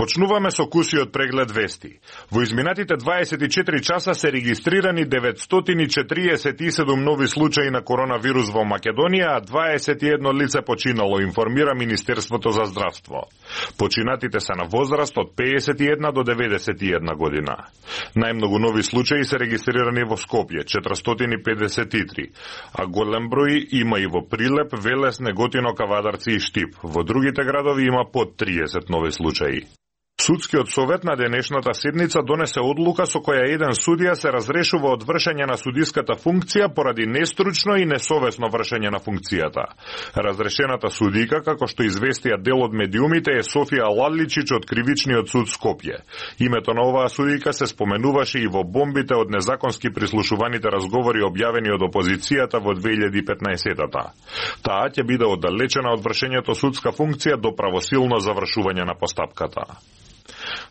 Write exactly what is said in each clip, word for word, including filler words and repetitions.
Почнуваме со кусиот преглед вести. Во изминатите дваесет и четири часа се регистрирани деветстотини четириесет и седум нови случаи на коронавирус во Македонија, а дваесет и едно лице починало, информира Министерството за здравство. Починатите се на возраст од пеесет и една до деветдесет и една година. Најмногу нови случаи се регистрирани во Скопје, четиристотини педесет и три, а голем број има и во Прилеп, Велес, Неготино, Кавадарци и Штип. Во другите градови има под триесет нови случаи. Судскиот совет на денешната седница донесе одлука со која еден судија се разрешува од вршење на судиската функција поради нестручно и несовесно вршење на функцијата. Разрешената судика, како што известија дел од медиумите, е Софија Ладличич од Кривичниот суд Скопје. Името на оваа судика се споменуваше и во бомбите од незаконски прислушуваните разговори објавени од опозицијата во две илјади и петнаесетата. Таа ќе биде оддалечена од вршењето судска функција до правосилно завршување на постапката.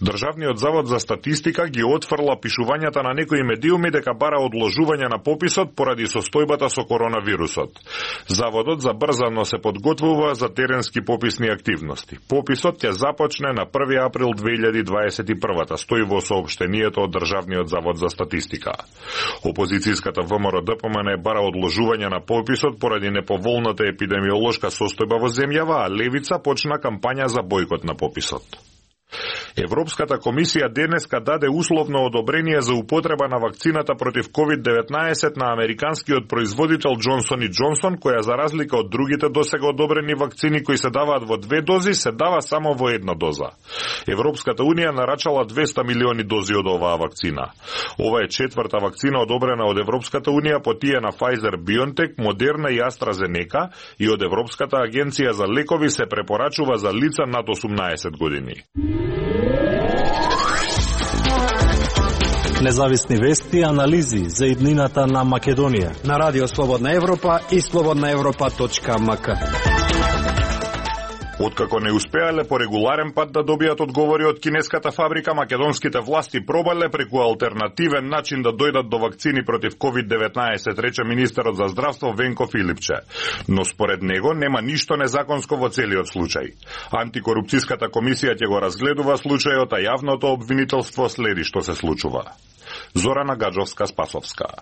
Државниот завод за статистика ги отфрла пишувањата на некои медиуми дека бара одложување на пописот поради состојбата со коронавирусот. Заводот забрзано се подготвува за теренски пописни активности. Пописот ќе започне на први април две илјади дваесет и прва, стои во соопштението од Државниот завод за статистика. Опозицијската ВМРО-ДПМН бара одложување на пописот поради неповолната епидемиолошка состојба во земјава, а Левица почна кампања за бојкот на пописот. Европската комисија денеска даде условно одобрение за употреба на вакцината против ковид деветнаесет на американскиот производител Джонсон и Джонсон, која за разлика од другите досега одобрени вакцини кои се даваат во две дози, се дава само во една доза. Европската унија нарачала двесте милиони дози од оваа вакцина. Ова е четврта вакцина одобрена од Европската унија по тие на Pfizer, BioNTech, Moderna и AstraZeneca, и од Европската агенција за лекови се препорачува за лица над осумнаесет години. Независни вести и анализи за иднината на Македонија на Радио Слободна Европа и слободна европа точка ем ка. Откако не успеале по регуларен пат да добијат одговори од кинеската фабрика, македонските власти пробале преку алтернативен начин да дојдат до вакцини против ковид деветнаесет, рече министерот за здравство Венко Филипче. Но според него нема ништо незаконско во целиот случај. Антикорупцијската комисија ќе го разгледува случајот, а јавното обвинителство следи што се случува. Зорана Гаджовска-Спасовска.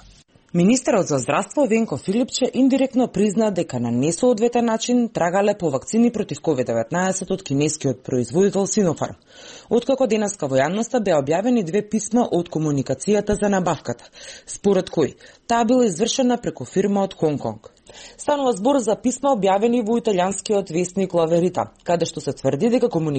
Министерот за здравство Венко Филипче индиректно призна дека на несоодветен начин трагале по вакцини против ковид деветнаесет од кинескиот производител Синофарм. Откако денеска во јавноста беа објавени две писма од комуникацијата за набавката, според кои таа била извршена преку фирма од Хонконг. Станува збор за писма објавени во италијанскиот весник La Verità, каде што се тврди дека комуникацијата